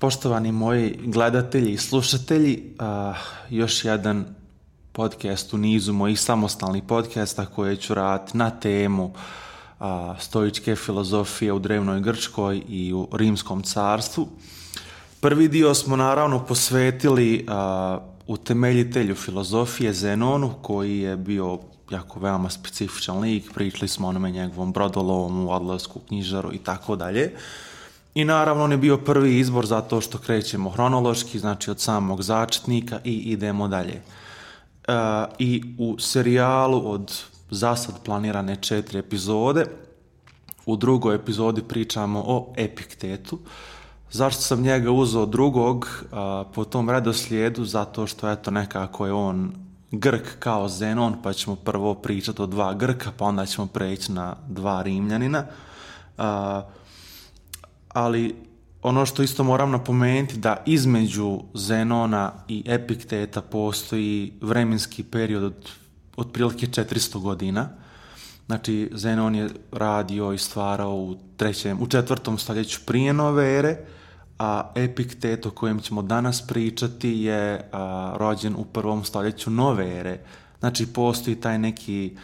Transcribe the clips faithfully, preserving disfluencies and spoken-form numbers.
Poštovani moji gledatelji i slušatelji, uh, još jedan podcast u nizu mojih samostalnih podcasta koje ću raditi na temu uh, stoičke filozofije u drevnoj Grčkoj i u Rimskom carstvu. Prvi dio smo naravno posvetili uh, utemeljitelju filozofije Zenonu, koji je bio jako veoma specifičan lik. Pričali smo o onome njegovom brodolomu, odlasku, knjižaru i tako dalje. I naravno on je bio prvi izbor zato što krećemo hronološki, znači od samog začetnika i idemo dalje. E, I u serijalu od zasad planirane četiri epizode, u drugoj epizodi pričamo o Epiktetu. Zašto sam njega uzeo drugog a, po tom redoslijedu? Zato što eto nekako je on Grk kao Zenon, pa ćemo prvo pričati o dva Grka, pa onda ćemo preći na dva Rimljanina. A, ali ono što isto moram napomenuti da između Zenona i Epikteta postoji vremenski period od otprilike četiristo godina. Znači Zenon je radio i stvarao u trećem, u četvrtom stoljeću prije nove ere, a Epiktet o kojem ćemo danas pričati je a, rođen u prvom stoljeću nove ere. Znači postoji taj neki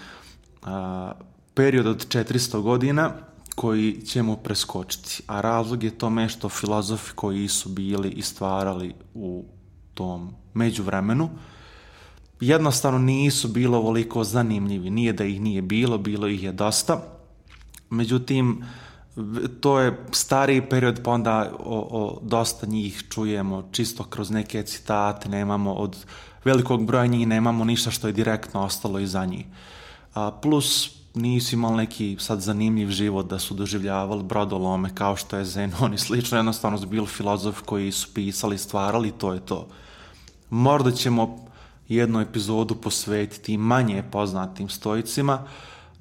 a, period od četiristo godina koji ćemo preskočiti, a razlog je tome što filozofi koji su bili i stvarali u tom međuvremenu jednostavno nisu bilo ovoliko zanimljivi. Nije da ih nije bilo, bilo ih je dosta. Međutim, to je stariji period, pa onda o, o dosta njih čujemo čisto kroz neke citate, nemamo od velikog broja njih, nemamo ništa što je direktno ostalo iza njih. A, plus nisu imali neki sad zanimljiv život da su doživljavali brodolome kao što je Zenon i slično, jednostavno su bili filozofi koji su pisali, stvarali, to je to. Možda ćemo jednu epizodu posvetiti manje poznatim stoicima,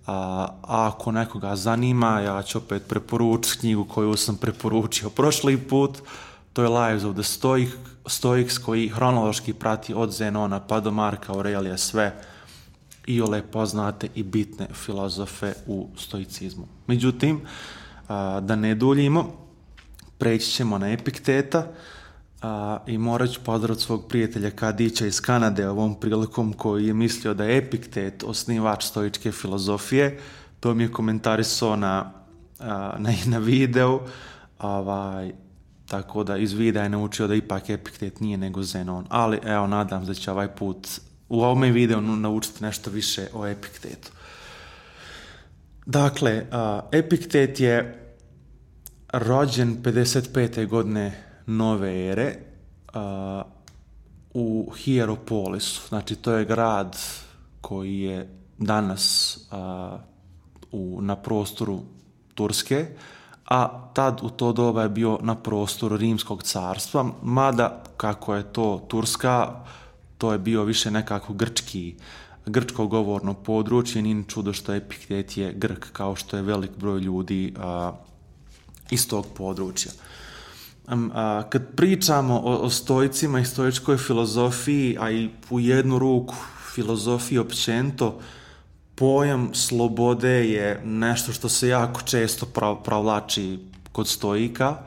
a, a ako nekoga zanima, ja ću opet preporučiti knjigu koju sam preporučio prošli put, to je Lives of the Stoic, Stoics, koji hronološki prati od Zenona pa do Marka Aurelija sve iole poznate i bitne filozofe u stoicizmu. Međutim, a, da ne duljimo, preći ćemo na Epikteta a, i morat ću pozdraviti svog prijatelja Kadića iz Kanade ovom prilikom, koji je mislio da je Epiktet osnivač stoičke filozofije. To mi je komentarisao na, a, na, na videu, ovaj, tako da iz videa je naučio da ipak Epiktet nije nego Zenon. Ali evo, nadam se da će ovaj put u ovome videu naučiti nešto više o Epiktetu. Dakle, uh, Epiktet je rođen pedeset pete godine nove ere uh, u Hierapolisu. Znači, to je grad koji je danas uh, u, na prostoru Turske, a tad u to doba je bio na prostoru Rimskog carstva, mada kako je to Turska, to je bio više nekako grčki, grčko govorno područje, nije čudo što Epiktet je Grk, kao što je velik broj ljudi a, iz tog područja. A, kad pričamo o, o stoicima i stoičkoj filozofiji, a i u jednu ruku filozofiji općenito, pojam slobode je nešto što se jako često provlači kod stoika.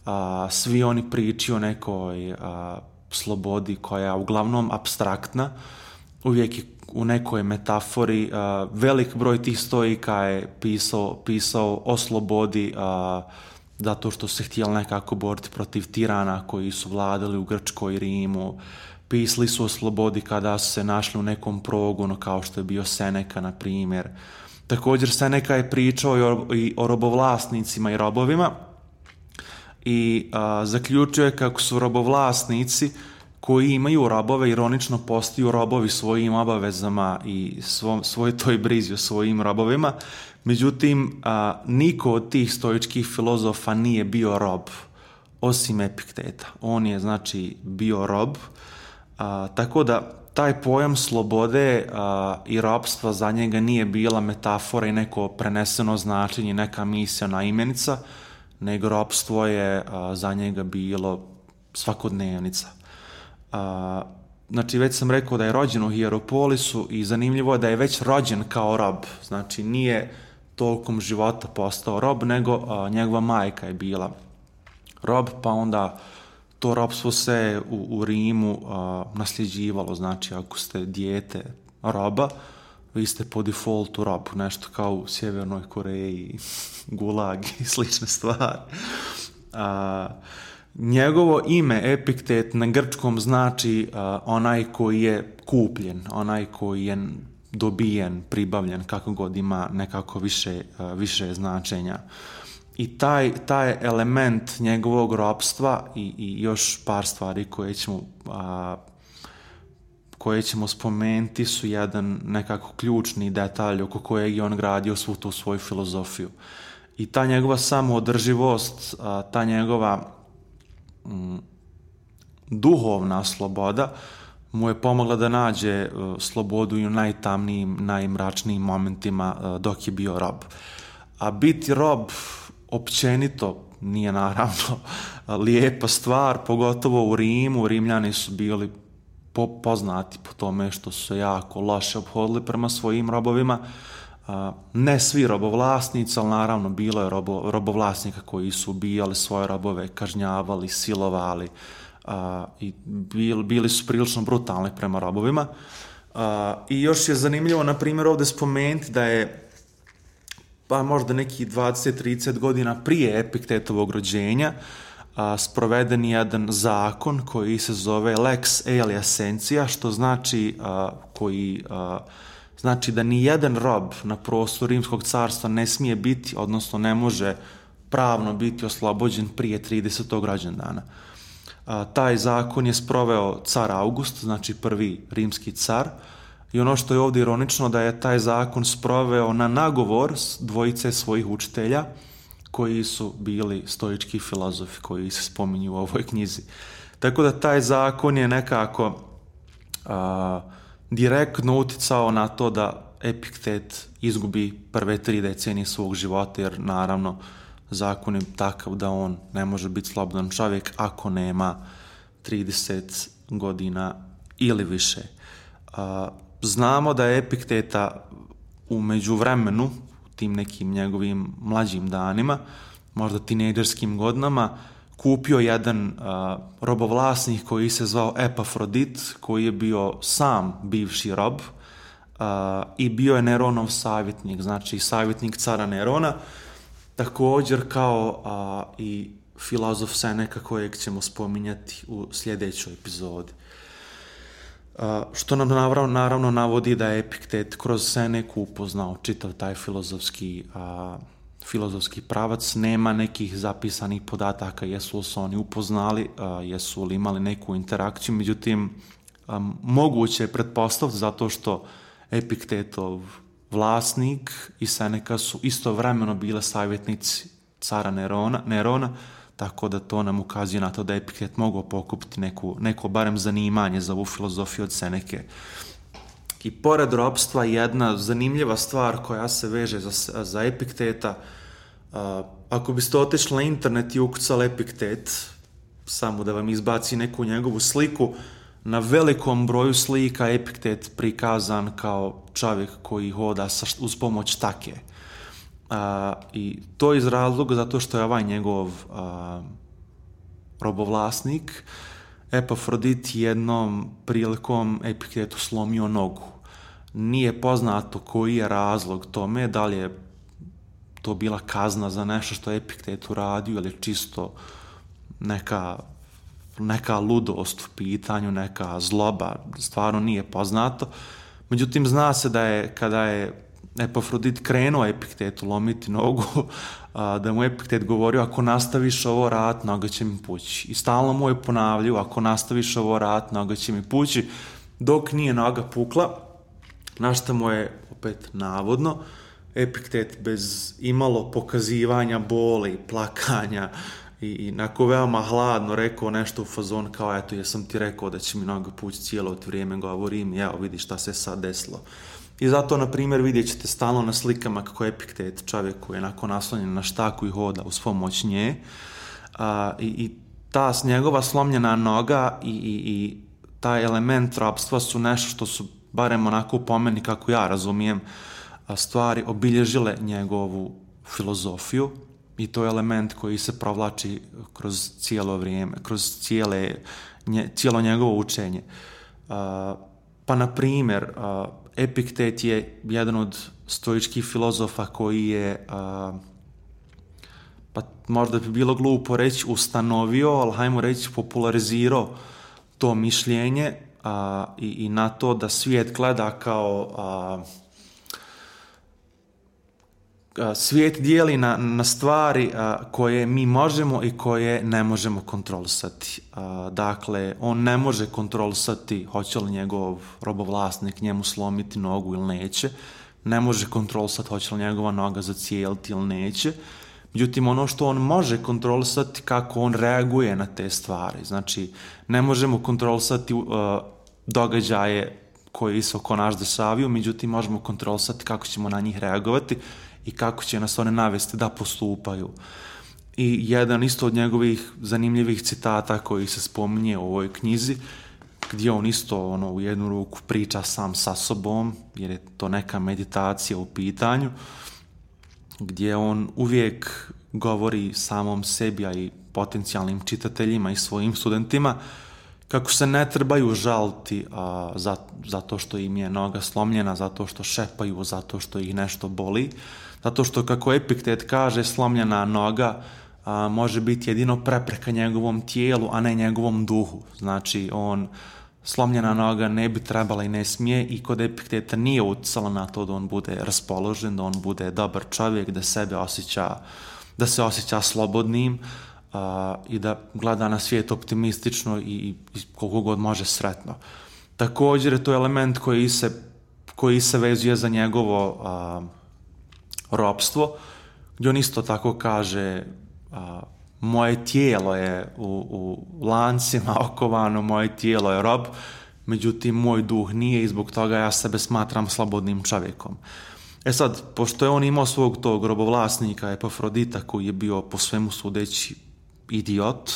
A, svi oni pričaju o nekoj a, slobodi koja je uglavnom apstraktna, uvijek je u nekoj metafori. Uh, velik broj tih stoika je pisao, pisao o slobodi uh, zato što se htjeli nekako boriti protiv tirana koji su vladali u Grčkoj i Rimu. Pisali su o slobodi kada su se našli u nekom progonu, kao što je bio Seneka, na primjer. Također Seneka je pričao i o, i o robovlasnicima i robovima, i a, zaključuje kako su robovlasnici koji imaju robove ironično postaju robovi svojim obavezama i svom, svoj toj brizi o svojim robovima. Međutim, a, niko od tih stoičkih filozofa nije bio rob, osim Epikteta. On je, znači, bio rob, a, tako da taj pojam slobode a, i robstva za njega nije bila metafora i neko preneseno značenje, neka misiona imenica, nego ropstvo je a, za njega bilo svakodnevnica. A, znači, već sam rekao da je rođen u Hierapolisu i zanimljivo je da je već rođen kao rob. Znači, nije tokom života postao rob, nego a, njegova majka je bila rob, pa onda to ropstvo se u, u Rimu a, nasljeđivalo, znači ako ste dijete roba, vi ste po defaultu rob, nešto kao u Sjevernoj Koreji, gulag i slične stvari. A, njegovo ime Epiktet na grčkom znači a, onaj koji je kupljen, onaj koji je dobijen, pribavljen, kako god ima nekako više, a, više značenja. I taj, taj element njegovog ropstva i, i još par stvari koje ćemo, a, koje ćemo spomenuti su jedan nekako ključni detalj oko kojeg je on gradio svu tu svoju filozofiju. I ta njegova samoodrživost, a, ta njegova m, duhovna sloboda mu je pomogla da nađe a, slobodu i u najtamnijim, najmračnijim momentima a, dok je bio rob. A biti rob općenito nije naravno lijepa stvar, pogotovo u Rimu. Rimljani su bili po, poznati po tome što su se jako loše ophodili prema svojim robovima. Ne svi robovlasnici, ali naravno bilo je robo, robovlasnika koji su ubijali svoje robove, kažnjavali, silovali i bili, bili su prilično brutalni prema robovima. I još je zanimljivo, na primjer, ovdje spomenuti da je pa možda nekih dvadeset do trideset godina prije Epiktetovog rođenja a, sproveden jedan zakon koji se zove Lex Aelia Sentia, što znači a, koji a, znači da ni jedan rob na prostoru Rimskog carstva ne smije biti, odnosno ne može pravno biti oslobođen prije tridesetog rođendana. A, taj zakon je sproveo car August, znači prvi rimski car. I ono što je ovdje ironično da je taj zakon sproveo na nagovor dvojice svojih učitelja koji su bili stoički filozofi koji se spominju u ovoj knjizi. Tako da taj zakon je nekako a, direktno uticao na to da Epiktet izgubi prve tri decenije svog života, jer naravno zakon je takav da on ne može biti slobodan čovjek ako nema trideset godina ili više. A, Znamo da je Epikteta u međuvremenu, u tim nekim njegovim mlađim danima, možda tinejdžerskim godinama, kupio jedan a, robovlasnik koji se zvao Epafrodit, koji je bio sam bivši rob a, i bio je Neronov savjetnik, znači savjetnik cara Nerona, također kao a, i filozof Seneka kojeg ćemo spominjati u sljedećoj epizodi. Uh, što nam naravno, naravno navodi da je Epiktet kroz Seneku upoznao čitav taj filozofski, uh, filozofski pravac. Nema nekih zapisanih podataka jesu li se oni upoznali, uh, jesu li imali neku interakciju, međutim um, moguće je pretpostaviti zato što Epiktetov vlasnik i Seneka su istovremeno bile savjetnici cara Nerona, Nerona, tako da to nam ukazuje na to da je Epiktet mogao pokupiti neku, neko barem zanimanje za ovu filozofiju od Seneke. I pored ropstva, jedna zanimljiva stvar koja se veže za, za Epikteta, uh, ako biste otišli na internet i ukucali Epiktet, samo da vam izbaci neku njegovu sliku, na velikom broju slika Epiktet prikazan kao čovjek koji hoda sa, uz pomoć take. Uh, I to iz razloga zato što je ovaj njegov uh, robovlasnik Epafrodit jednom prilikom Epiktetu slomio nogu. Nije poznato koji je razlog tome, da li je to bila kazna za nešto što je Epiktet uradio ili čisto neka, neka ludost u pitanju, neka zloba, stvarno nije poznato. Međutim, zna se da je kada je Epafrodit krenuo Epiktetu lomiti nogu, a, da mu Epiktet govorio ako nastaviš ovo rat, noga će mi pući. I stalno mu je ponavljao ako nastaviš ovo rat, noga će mi pući, dok nije noga pukla, na što mu je opet navodno Epiktet bez imalo pokazivanja boli, plakanja i, i nako veoma hladno rekao nešto u fazon kao eto jesam ti rekao da će mi noga pući cijelo vrijeme govorim, evo vidi šta se sad desilo. I zato, na primjer, vidjet ćete stalno na slikama kako je Epiktet, čovjek koji je onako naslonjen na štaku i hoda uz pomoć nje. A, i, I ta njegova slomljena noga i, i, i taj element ropstva su nešto što su, barem onako po meni, kako ja razumijem, stvari obilježile njegovu filozofiju. i to je element koji se provlači kroz cijelo vrijeme, kroz cijele, nje, cijelo njegovo učenje. Uh, pa, na primjer, uh, Epiktet je jedan od stoičkih filozofa koji je, uh, pa možda bi bilo glupo reći ustanovio, ali hajmo reći popularizirao to mišljenje uh, i, i na to da svijet gleda kao... Uh, Svijet dijeli na, na stvari a, koje mi možemo i koje ne možemo kontrolisati. A, dakle, on ne može kontrolisati hoće li njegov robovlasnik njemu slomiti nogu ili neće. Ne može kontrolisati hoće li njegova noga zacijeliti ili neće. Međutim, ono što on može kontrolisati kako on reaguje na te stvari. Znači, ne možemo kontrolisati uh, događaje koji se oko nas dešavaju, međutim, možemo kontrolisati kako ćemo na njih reagovati i kako će nas one navesti da postupaju. I jedan isto od njegovih zanimljivih citata koji se spominje u ovoj knjizi, gdje on isto ono, u jednu ruku priča sam sa sobom, jer je to neka meditacija u pitanju, gdje on uvijek govori samom sebi, a i potencijalnim čitateljima i svojim studentima, kako se ne trebaju žaliti a, za, zato što im je noga slomljena, zato što šepaju, zato što ih nešto boli, zato što, kako Epiktet kaže, slomljena noga a, može biti jedino prepreka njegovom tijelu, a ne njegovom duhu. Znači, on, slomljena noga ne bi trebala i ne smije, i kod Epikteta nije utjecala na to da on bude raspoložen, da on bude dobar čovjek, da sebe osjeća, da se osjeća slobodnim, Uh, i da gleda na svijet optimistično i, i koliko god može sretno. Također je to element koji se, koji se vezuje za njegovo uh, ropstvo, gdje on isto tako kaže uh, moje tijelo je u, u lancima okovano, moje tijelo je rob, međutim moj duh nije i zbog toga ja sebe smatram slobodnim čovjekom. E sad, pošto je on imao svog tog robovlasnika Epafrodita koji je bio po svemu sudeći idiot,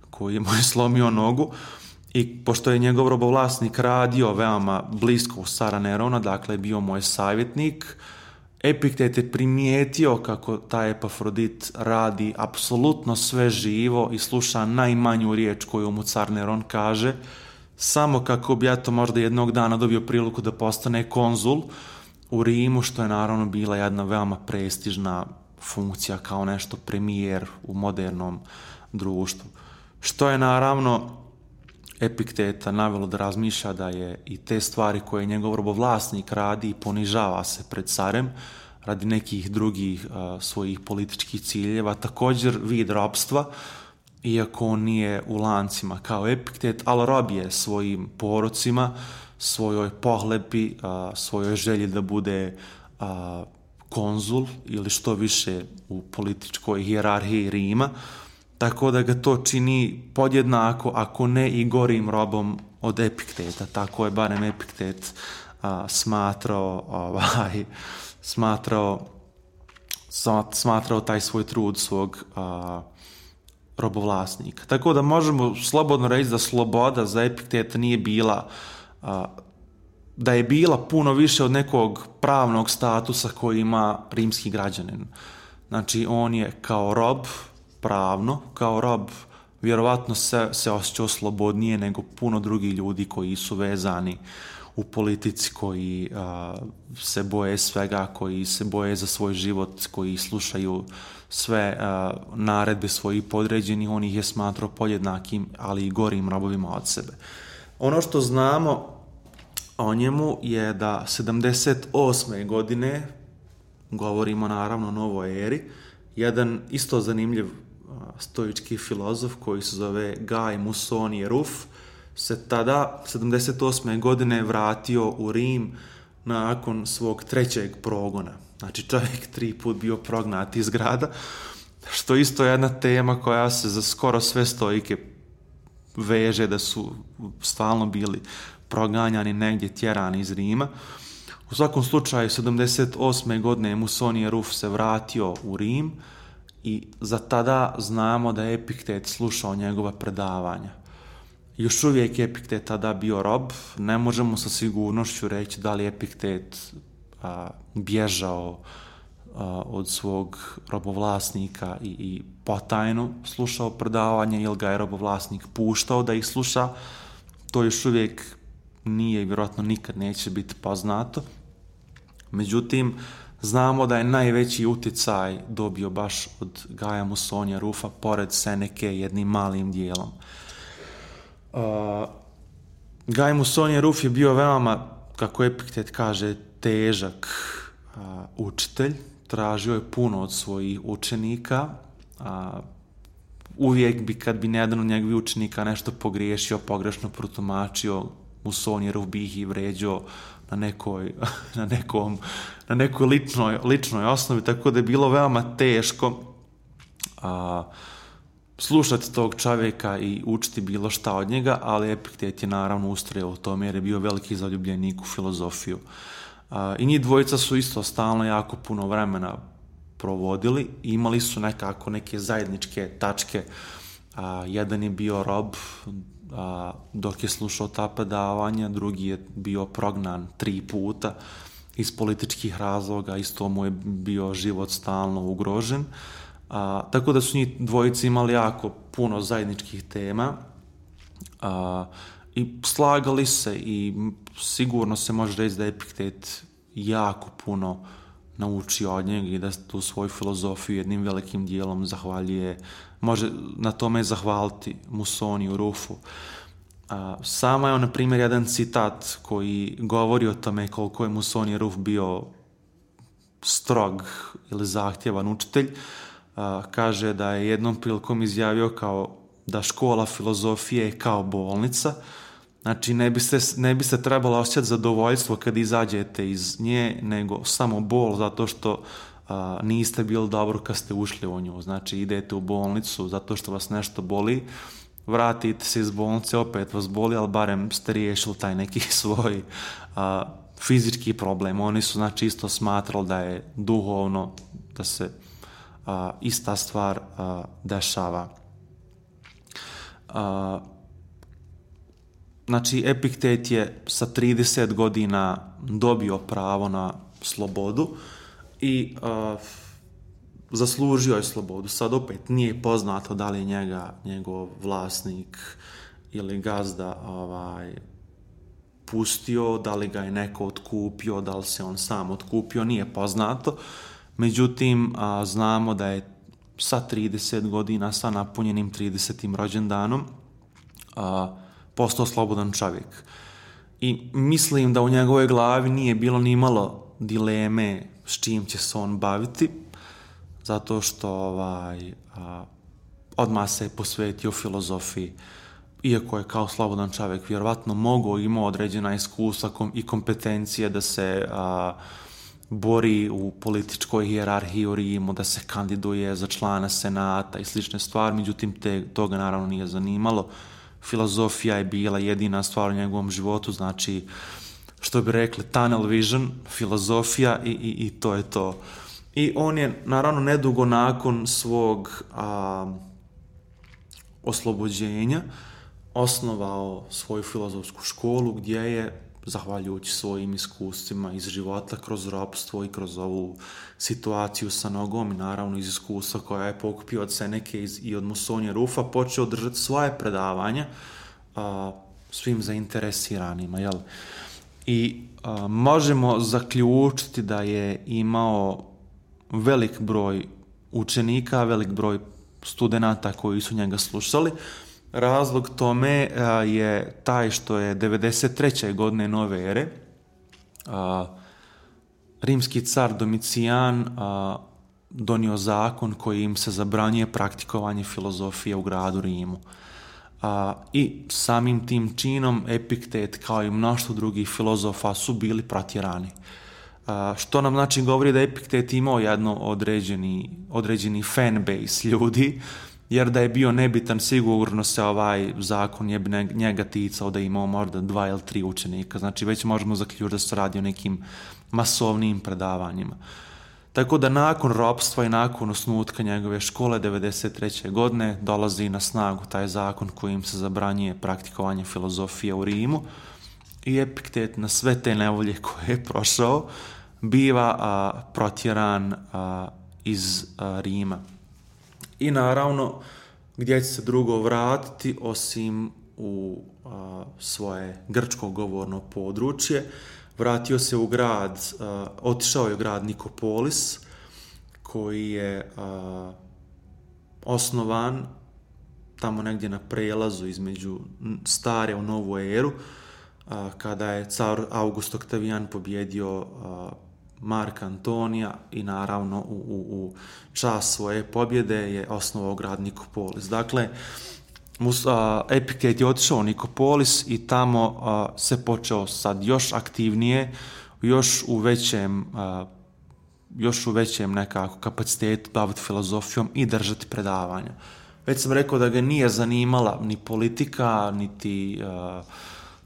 koji je mu je slomio nogu, i pošto je njegov robovlasnik radio veoma blisko uz cara Nerona, dakle bio moj savjetnik, Epiktet je primijetio kako taj Epafrodit radi apsolutno sve živo i sluša najmanju riječ koju mu car Neron kaže, samo kako bi ja to možda jednog dana dobio priliku da postane konzul u Rimu, što je naravno bila jedna veoma prestižna funkcija kao nešto premijer u modernom društvu. Što je naravno Epikteta navelo da razmišlja da je i te stvari koje njegov robovlasnik radi i ponižava se pred carem radi nekih drugih uh, svojih političkih ciljeva, također vid robstva, iako on nije u lancima kao Epiktet, ali rob je svojim porocima, svojoj pohlepi, uh, svojoj želji da bude uh, konzul ili što više u političkoj hijerarhiji Rima, tako da ga to čini podjednako, ako ne i gorim robom od Epikteta. Tako je barem Epiktet a, smatrao, ovaj, smatrao, smatrao taj svoj trud svog a, robovlasnika. Tako da možemo slobodno reći da sloboda za Epikteta nije bila, a, da je bila puno više od nekog pravnog statusa koji ima rimski građanin. Znači, on je kao rob, pravno, kao rob, vjerovatno se, se osjećao slobodnije nego puno drugih ljudi koji su vezani u politici, koji a, se boje svega, koji se boje za svoj život, koji slušaju sve a, naredbe svojih podređenih. On ih je smatrao podjednakim, ali i gorim robovima od sebe. Ono što znamo o njemu je da sedamdeset osme godine, govorimo naravno o novoj eri, jedan isto zanimljiv stoički filozof koji se zove Gaj Musonije Ruf se tada sedamdeset osme godine vratio u Rim nakon svog trećeg progona. Znači, čovjek tri put bio prognat iz grada, što isto je jedna tema koja se za skoro sve stoike veže, da su stalno bili proganjani, negdje tjerani iz Rima. U svakom slučaju, sedamdeset osme godine Musonije Ruf se vratio u Rim i za tada znamo da je Epiktet slušao njegova predavanja. Još uvijek je Epiktet tada bio rob, ne možemo sa sigurnošću reći da li je Epiktet a, bježao od svog robovlasnika i, i potajno slušao predavanje ili ga je robovlasnik puštao da ih sluša, to još uvijek nije i vjerojatno nikad neće biti poznato. Međutim, znamo da je najveći utjecaj dobio baš od Gaja Musonija Rufa, pored Seneke, jednim malim dijelom. Uh, Gaj Musonija Ruf je bio veoma, kako Epiktet kaže, težak uh, učitelj. Tražio je puno od svojih učenika. Uh, uvijek bi, kad bi jedan od njegovih učenika nešto pogriješio, pogrešno protumačio, Musonija Ruf bi ih i vređao na nekoj, na nekom, na nekoj ličnoj, ličnoj osnovi, tako da je bilo veoma teško a, slušati tog čovjeka i učiti bilo šta od njega, ali Epiktet je naravno ustrajao u tome jer je bio veliki zaljubljenik u filozofiju. A, I njih dvojica su isto stalno jako puno vremena provodili, imali su nekako neke zajedničke tačke. A, jedan je bio rob, a, dok je slušao ta predavanja, drugi je bio prognan tri puta iz političkih razloga, isto mu je bio život stalno ugrožen. A, tako da su njih dvojice imali jako puno zajedničkih tema a, i slagali se i sigurno se može reći da je Epiktet jako puno naučio od njega i da tu svoju filozofiju jednim velikim dijelom zahvaljuje, može na tome zahvaliti Musoniju Rufu. A, sama je, na primjer, jedan citat koji govori o tome koliko je Musonija Ruf bio strog ili zahtjevan učitelj. A, kaže da je jednom prilikom izjavio kao da škola filozofije je kao bolnica. Znači, ne biste, ne biste trebalo osjećati zadovoljstvo kad izađete iz nje, nego samo bol zato što a, niste bili dobro kad ste ušli u nju. Znači, idete u bolnicu zato što vas nešto boli, vratite se iz bolnice, opet vas boli, ali barem ste riješili taj neki svoj a, fizički problem. Oni su, znači, isto smatrali da je duhovno, da se a, ista stvar a, dešava. A, Znači, Epiktet je sa trideset godina dobio pravo na slobodu i uh, zaslužio je slobodu. Sad opet nije poznato da li je njega, njegov vlasnik ili gazda ovaj, pustio, da li ga je neko otkupio, da li se on sam otkupio, nije poznato. Međutim, uh, znamo da je sa trideset godina, sa napunjenim tridesetim rođendanom, uh, postao slobodan čovjek. I mislim da u njegovoj glavi nije bilo ni malo dileme s čim će se on baviti, zato što ovaj, a, odmah se je posvetio filozofiji. Iako je kao slobodan čovjek vjerovatno mogao, imao određena iskustva i kompetencije da se a, bori u političkoj hijerarhiji u Rimu, da se kandiduje za člana senata i slične stvari, međutim te, toga naravno nije zanimalo. Filozofija je bila jedina stvar u njegovom životu, znači, što bi rekli, tunnel vision, filozofija i, i, i to je to. I on je, naravno, nedugo nakon svog a, oslobođenja osnovao svoju filozofsku školu gdje je, zahvaljujući svojim iskustvima iz života, kroz ropstvo i kroz ovu situaciju sa nogom i naravno iz iskustva koja je pokupio od Seneke i od Musonija Rufa, počeo držati svoje predavanja a, svim zainteresiranima. Jel? I a, možemo zaključiti da je imao velik broj učenika, velik broj studenata koji su njega slušali. Razlog tome a, je taj što je devedeset treće godine nove ere a, rimski car Domicijan a, donio zakon koji im se zabranjuje praktikovanje filozofije u gradu Rimu. A, I samim tim činom Epiktet kao i mnoštvo drugih filozofa su bili protjerani. A, što nam znači govori da Epiktet imao jedno određeni, određeni fanbase ljudi, jer da je bio nebitan, sigurno se ovaj zakon je njega ticao da je imao možda dva ili tri učenika. Znači već možemo zaključiti da se radi o nekim masovnim predavanjima. Tako da nakon ropstva i nakon osnutka njegove škole devedeset treće godine dolazi na snagu taj zakon kojim se zabranjuje praktikovanje filozofije u Rimu i Epiktet na sve te nevolje koje je prošao biva a, protjeran a, iz a, Rima. I naravno, gdje će se drugo vratiti osim u a, svoje grčko govorno područje. Vratio se u grad, a, otišao je u grad Nikopolis, koji je a, osnovan tamo negdje na prelazu između stare u novu eru, a, kada je car August Oktavijan pobjedio a, Marka Antonija i naravno u, u, u čast svoje pobjede je osnovao grad Nikopolis. Dakle, mus, a, Epiktet je otišao u Nikopolis i tamo a, se počeo sad još aktivnije, još u većem a, još u većem nekako kapacitetu baviti filozofijom i držati predavanja. Već sam rekao da ga nije zanimala ni politika, niti uh,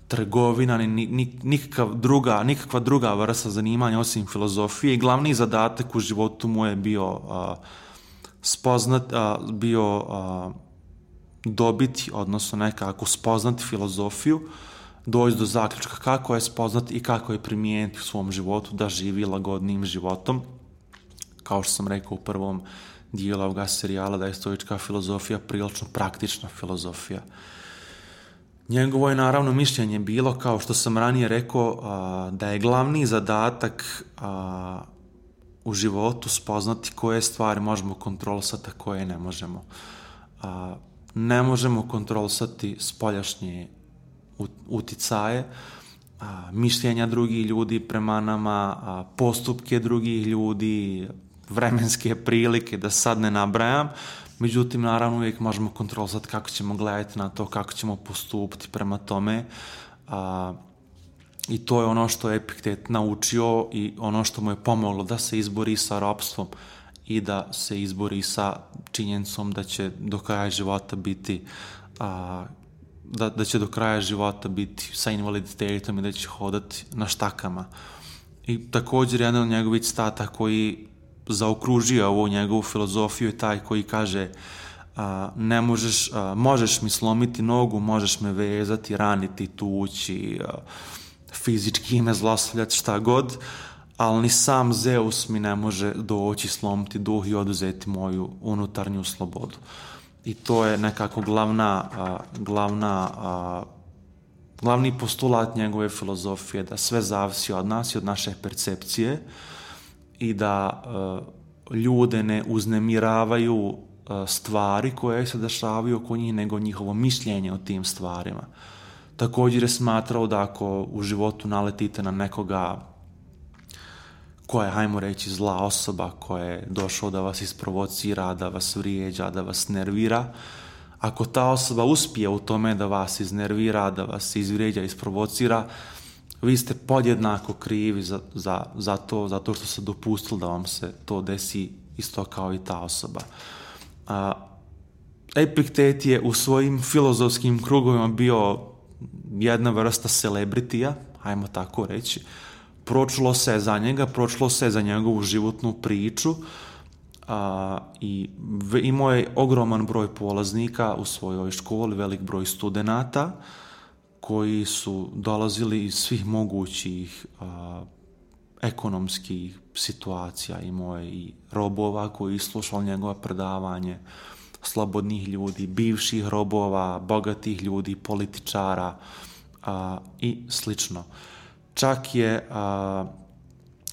trgovina, ni, ni, nikakva, druga, nikakva druga vrsta zanimanja osim filozofije. I glavni zadatak u životu mu je bio uh, spoznat, uh, bio uh, dobiti, odnosno nekako spoznati filozofiju, doći do zaključka kako je spoznati i kako je primijeniti u svom životu da živi lagodnim životom. Kao što sam rekao u prvom dijelu ovoga serijala, da je stoička filozofija prilično praktična filozofija. Njegovo je naravno mišljenje bilo, kao što sam ranije rekao, da je glavni zadatak u životu spoznati koje stvari možemo kontrolisati, a koje ne možemo. Ne možemo kontrolisati spoljašnje uticaje, mišljenja drugih ljudi prema nama, postupke drugih ljudi, vremenske prilike, da sad ne nabrajam. Međutim, naravno uvijek možemo kontrolisati kako ćemo gledati na to, kako ćemo postupiti prema tome. A, I to je ono što je Epiktet naučio i ono što mu je pomoglo da se izbori sa ropstvom i da se izbori sa činjenicom da će do kraja života biti a, da, da će do kraja života biti sa invaliditetom i da će hodati na štakama. I također jedan od njegovih citata koji zaokružio ovu njegovu filozofiju je taj koji kaže a, ne možeš, a, možeš mi slomiti nogu, možeš me vezati, raniti, tući, a, fizički me zlostavljati, šta god, ali ni sam Zeus mi ne može doći, slomiti duh i oduzeti moju unutarnju slobodu. I to je nekako glavna, a, glavna, a, glavni postulat njegove filozofije, da sve zavisi od nas i od naše percepcije i da uh, ljude ne uznemiravaju uh, stvari koje se dešavaju oko njih, nego njihovo mišljenje o tim stvarima. Također je smatrao da ako u životu naletite na nekoga koja je, hajmo reći, zla osoba, koja je došao da vas isprovocira, da vas vrijeđa, da vas nervira, ako ta osoba uspije u tome da vas iznervira, da vas izvrijeđa, isprovocira, vi ste podjednako krivi za, za, za to, zato što se dopustili da vam se to desi isto kao i ta osoba. A, Epiktet je u svojim filozofskim krugovima bio jedna vrsta celebritija, hajmo tako reći. Pročulo se za njega, pročulo se za njegovu životnu priču a, i v, imao je ogroman broj polaznika u svojoj školi, velik broj studenata koji su dolazili iz svih mogućih a, ekonomskih situacija. Imao je i robova koji slušali njegova predavanje, slobodnih ljudi, bivših robova, bogatih ljudi, političara a, i slično. Čak je, a,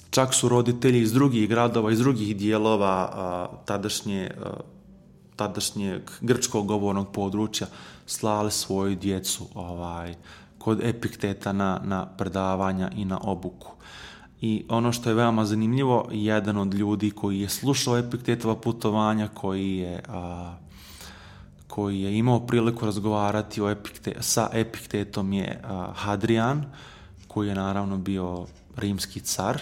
čak su roditelji iz drugih gradova, iz drugih dijelova a, tadašnje, a, tadašnjeg grčkog govornog područja slali svoju djecu ovaj, kod Epikteta na, na predavanja i na obuku. I ono što je veoma zanimljivo, jedan od ljudi koji je slušao Epiktetova putovanja, koji je, a, koji je imao priliku razgovarati o Epikte, sa Epiktetom je a, Hadrian, koji je naravno bio rimski car.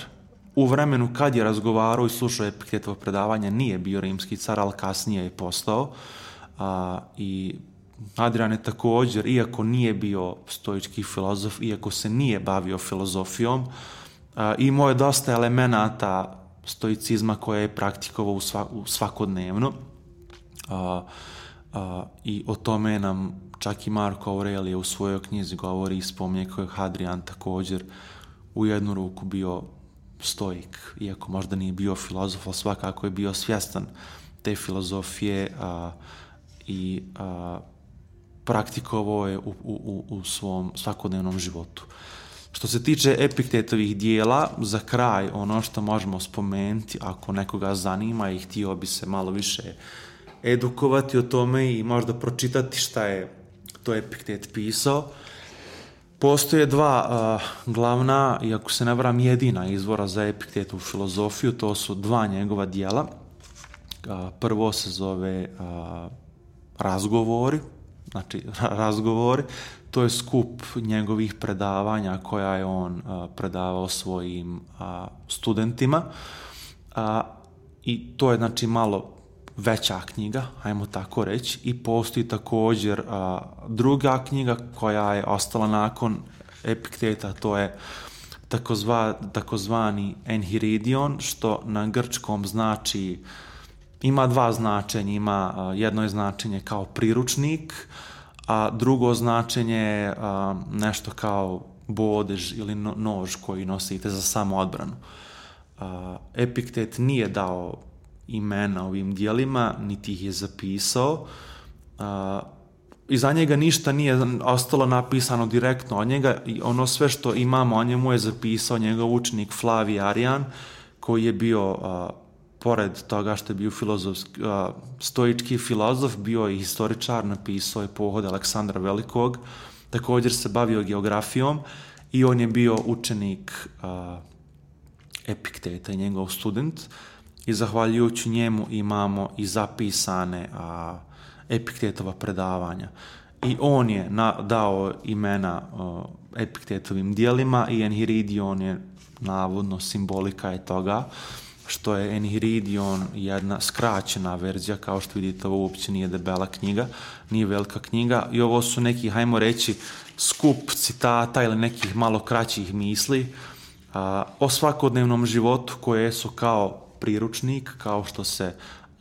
U vremenu kad je razgovarao i slušao Epiktetovo predavanje nije bio rimski car, ali kasnije je postao. A, I Hadrian je također, iako nije bio stoički filozof, iako se nije bavio filozofijom, a, imao je dosta elemenata stoicizma koje je praktikovao u, sva, u svakodnevno. A, a, I o tome nam čak i Marko Aurelije u svojoj knjizi govori i spominje kako je Hadrian također u jednu ruku bio stoik, iako možda nije bio filozof, ali svakako je bio svjestan te filozofije a, i a, praktikovao je u, u, u svom svakodnevnom životu. Što se tiče Epiktetovih dijela, za kraj ono što možemo spomenuti, ako nekoga zanima i htio bi se malo više edukovati o tome i možda pročitati šta je to Epiktet pisao, postoje dva uh, glavna, i ako se ne varam jedina izvora za Epiktetovu filozofiju, to su dva njegova dijela. Uh, prvo se zove uh, Razgovori, znači razgovori, to je skup njegovih predavanja koja je on uh, predavao svojim uh, studentima uh, i to je znači malo veća knjiga, ajmo tako reći, i postoji također uh, druga knjiga koja je ostala nakon Epikteta, to je takozva, takozvani Enhiridion, što na grčkom znači, ima dva značenja, ima uh, jedno je značenje kao priručnik, a drugo značenje je uh, nešto kao bodež ili no, nož koji nosite za samoodbranu. Uh, Epiktet nije dao imena ovim dijelima, niti ih je zapisao. Uh, iza njega ništa nije ostalo napisano direktno od njega i ono sve što imamo o njemu je zapisao njegov učenik Flavij Arijan, koji je bio, uh, pored toga što je bio filozof, uh, stoički filozof, bio i historičar, napisao je Pohod Aleksandra Velikog, također se bavio geografijom i on je bio učenik uh, Epikteta i njegov student. I zahvaljujući njemu imamo i zapisane a, Epiktetova predavanja. I on je na, dao imena a, Epiktetovim dijelima i Enhiridion je navodno simbolika je toga, što je Enhiridion jedna skraćena verzija, kao što vidite ovo uopće nije debela knjiga, nije velika knjiga i ovo su neki, hajmo reći, skup citata ili nekih malo kraćih misli a, o svakodnevnom životu koje su kao priručnik, kao što se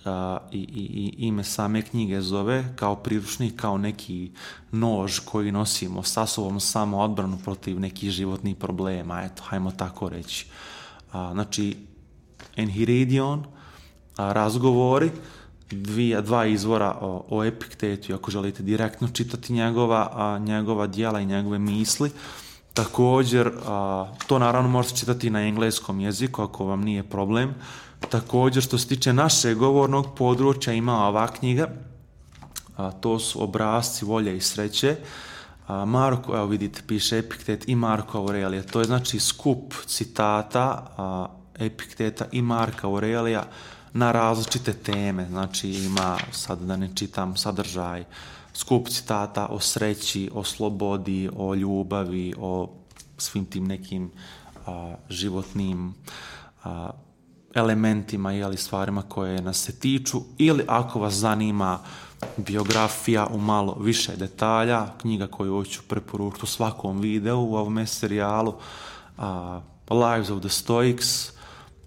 uh, i, i, i ime same knjige zove, kao priručnik, kao neki nož koji nosimo sa sobom samo odbranu protiv nekih životnih problema, eto, hajmo tako reći. Uh, znači, Enhiridion, uh, razgovori, dvije, dva izvora o, o Epiktetu, ako želite direktno čitati njegova, uh, njegova dijela i njegove misli. Također, uh, to naravno možete čitati na engleskom jeziku, ako vam nije problem. Također, što se tiče našeg govornog područja, ima ova knjiga, a, to su Obrasci volje i sreće. A, Marko, evo vidite, piše Epiktet i Marko Aurelija. To je znači skup citata a, Epikteta i Marka Aurelija na različite teme. Znači ima, sad da ne čitam sadržaj, skup citata o sreći, o slobodi, o ljubavi, o svim tim nekim a, životnim a, elementima ili stvarima koje nas se tiču, ili ako vas zanima biografija u malo više detalja, knjiga koju hoću preporučiti u svakom videu u ovome serijalu, uh, Lives of the Stoics,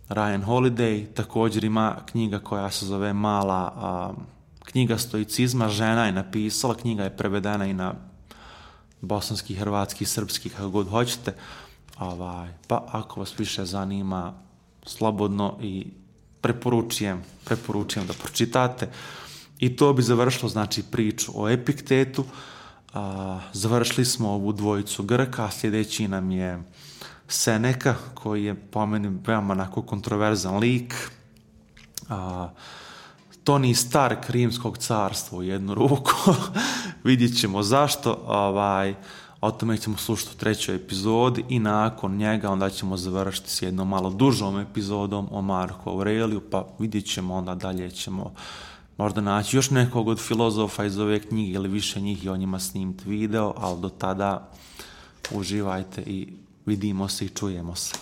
Ryan Holiday, također ima knjiga koja se zove Mala uh, knjiga stoicizma, žena je napisala, knjiga je prevedena i na bosanski, hrvatski, srpski, kako god hoćete, ovaj, pa ako vas više zanima, slobodno i preporučujem, preporučujem da pročitate. I to bi završilo znači priču o Epiktetu. A, završili smo ovu dvojicu Grka, sljedeći nam je Seneka, koji je po meni veoma onako kontroverzan lik. A, Tony Stark rimskog carstva u jednu ruku. Vidjet ćemo zašto. Ovaj, o tome ćemo slušati u trećoj epizodi i nakon njega onda ćemo završiti s jednom malo dužom epizodom o Marku Aureliju, pa vidjet ćemo onda dalje ćemo možda naći još nekog od filozofa iz ove knjige ili više njih i o njima snimiti video, ali do tada uživajte i vidimo se i čujemo se.